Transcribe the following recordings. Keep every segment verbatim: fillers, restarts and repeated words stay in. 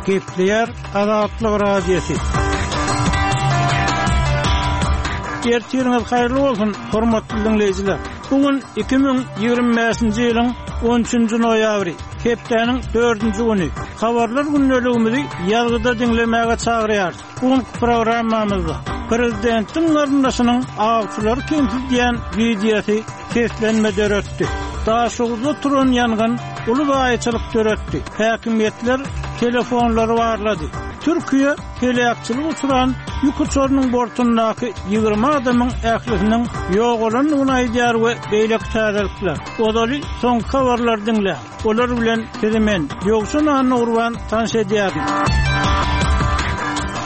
Gepleýär Azatlyk Radiosy. Ertiriňiz haýyrly bolsun, hormatly diňleýjiler. Bu gün iki müň ýigrimi bäşinji ýylyň on üçünji noýabry, hepdäniň dördünji güni. Habarlar gündeligimizi ýazgyda diňlemäge çagyrýarys. Bu günki programmamyzda prezidentiň garyndaşynyň awçylary kemsidýän wideosy seslenme döretdi. Daşoguzda turan ýangyn uly zaýaçylyk döretdi. Häkimiýetler telefonlary barlady. Türkiýe heläkçilige uçran ýük uçarynyň bortundaky ýigrimi adamyň ählisiniň ýogalandygyny aýdýar we beýleki täzelikler. Ozaly soňky habarlary diňläň. Olar bilen sizi men, Ýowşan Annagurban tanyş edýärin.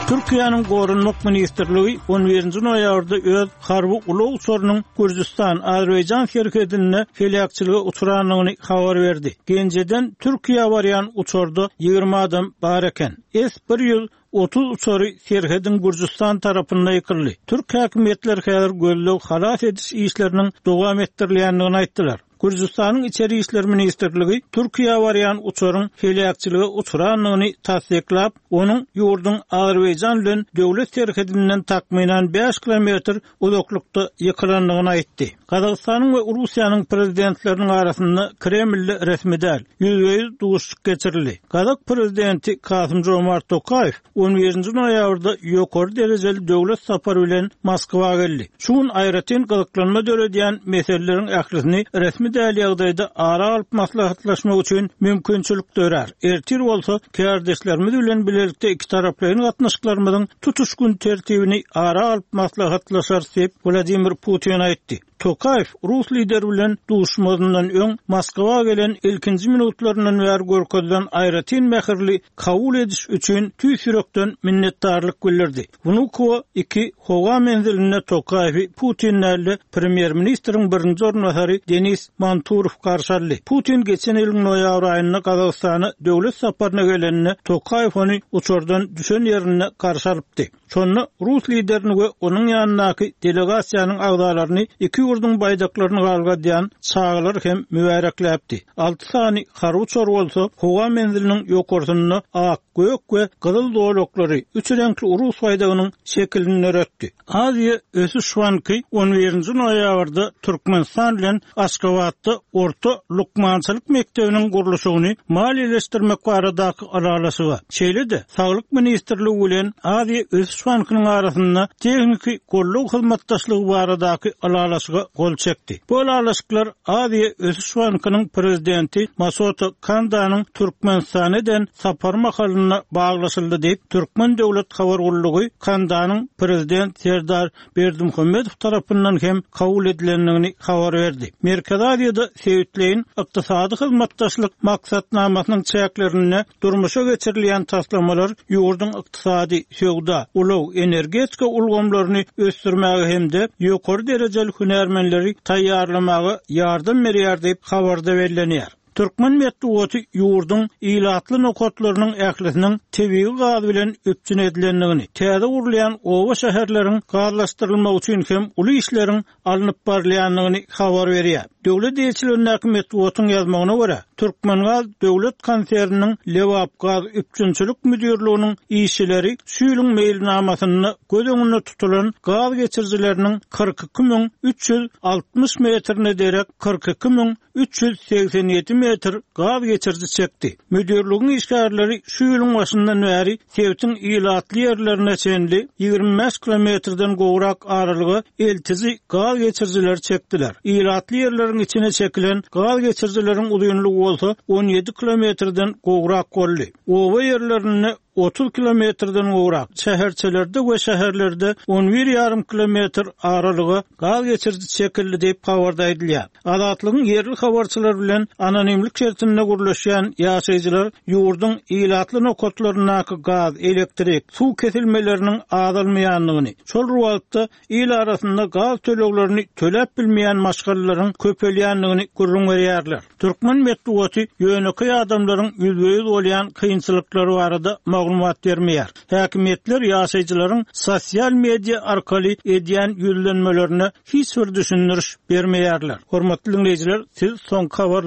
Türkiýäniň Goranmak ministrligi on birinji noýabrda öz harby ulag uçarynyň Gürjüstan, Azerbaýjan serhedinde heläkçilige uçrandygyny habar berdi. Genjeden Türkiýä barýan uçarda ýigrimi adam bar eken. S bir ýüz otuz uçary serhediň Gürjüstan tarapynda ýykyldy. Türk häkimiýetleri häzir gözleg halas ediş işleriniň dowam etdirilýändigini aýtdylar. Gürjüstanyň Içeri İşler Ministrligi Türkiýä barýan uçaryň heläkçilige uçrandygyny tassyklap, onuň ýurduň Azerbaýjan bilen döwlet serhedinden takmynan bäş kilometr uzaklykda ýykylandygyny aýtdy. Gazagystanyň we Russiýanyň prezidentleriniň arasynda Kremlde resmi däl, ýüzbe-ýüz duşuşyk geçirildi. Gazak prezidenti Kasym Jomart Tokaýew on birinji noýabrda ýokary derejeli döwlet sapary bilen Moskwa geldi. Şu gün aýratyn gyzyklanma döredýän meseleleriň ählisini resmi däl ýagdaýda ara alyp maslahatlaşmak üçin mümkinçilik dörer. Ertir bolsa kärdeşlerimiz bilen bilelikde iki taraplaýyn gatnaşyklarymyzyň tutuş gün tertibini ara alyp maslahatlaşarys diýip Wladimir Putin aýtdy. Tokaýew Rus lideri bilen duşmazyndan öň Moskwa gelen ilkinji minutlaryndan bäri görkezilen aýratyn mähirli kabul ediş üçin tüýs ýürekden minnetdarlyk bildirdi. Wnukowo iki howa menzilinde Tokaýewi Putin däl-de premýer-ministriň birinji orunbasary Denis Manturow garşy aldy. Putin geçen ýylyň noýabr aýynda Gazagystana döwlet saparyna geleninde Tokaýew ony uçardan düşen ýerinde garşy alypdy. Şonda Rus liderini we onuň ýanyndaky delegasiýanyň agzalaryny iki ýurduň baýdaklaryny galgadýan çagalar hem mübärekläpdi. Alty sany harby uçar bolsa howa menziliniň ýokarsynda ak, gök we gyzyl zolaklary üç reňkli Rus baýdagynyň şekilini döretdi. Aziýa Ösüş Banky on birinji noýabrda Türkmenistan bilen Aşgabatda orta lukmançylyk mekdebiniň gurluşygyny maliýeleşdirmek baradaky ylalaşyga, şeýle-de Saglyk ministrligi bilen Aziýa Ösüş Bankynyň arasynda tehniki goldaw hyzmatdaşlygy baradaky ylalaşyga gol çekdi. Bu ylalaşyklar Aziýa Ösüş Bankynyň prezidenti Masato Kandanyň Türkmenistana eden sapar mahalynda baglaşyldy diýip, Türkmen döwlet habar gullugy Kandanyň prezident Serdar Berdimuhamedow tarapyndan hem kabul edilendigini habar berdi. Merkezi Aziýada sebitleýin ykdysady hyzmatdaşlyk maksatnamasynyň çäklerinde durmuşa geçirilýän taslamalar ýurduň ykdysady, söwda, ulag, energetika ulgamlaryny ösdürmäge hem-de ýokary derejeli hünärmenleri taýýarlamaga ýardam berýär diýip habarda bellenýär. Türkmen metbugaty ýurduň ilatly nokatlarynyň ählisiniň tebigy gaz bilen üpjün edilendigini, täze gurulýan oba şäherleriň gazlaşdyrylmagy üçin hem uly işleriň alnyp barylýandygyny habar berýär. Döwlet eýeçiligindäki metbugatyň ýazmagyna görä, Türkmengaz döwlet konserniniň Lebapgaz üpjünçilik müdirliginiň işçileri şu ýylyň meýilnamasynda göz öňünde tutulan gaz geçirijileriniň kyrk iki müň üç ýüz altmyş metrine derek kyrk iki müň üç ýüz segsen ýedi metr gaz geçiriji çekdi. Müdirligiň işgärleri şu ýylyň başyndan bäri sebitiň ilatly ýerlerine çenli ýigrimi bäş kilometrden gowrak aralyga eltici gaz geçirijileri çekdiler. Ilatly ýerleriň içine çekilen gaz geçirijileriň uzynlygy bolsa on ýedi kilometrden gowrak boldy. Oba ýerlerinde otuz kilometrden gowrak, şäherçelerde we şäherlerde on bir ýarym kilometr aralyga gaz geçiriji çekildi diýip habarda aýdylýar. Azatlygyň ýerli habarçylar bilen anonimlik şertinde gurluşýan ýaşaýjylar ýurduň ilatly nokatlaryndaky gaz, elektrik, suw kesilmeleriniň azalmaýandygyny, şol wagtda il arasynda gaz töleglerini töläp bilmeýän maşgalalaryň köpelýändigini gürrüň berýärler. Türkmen metbugaty ýönekeý adamlaryň ýüzbe-ýüz bolýan kynçylyklary barada maglumat bermeýär. Häkimiýetler ýaşaýjylaryň sosial media arkaly edýän ýüzlenmelerine hiç bir düşündiriş bermeýärler. Hormatly dinleýjiler, siz soňky habarlar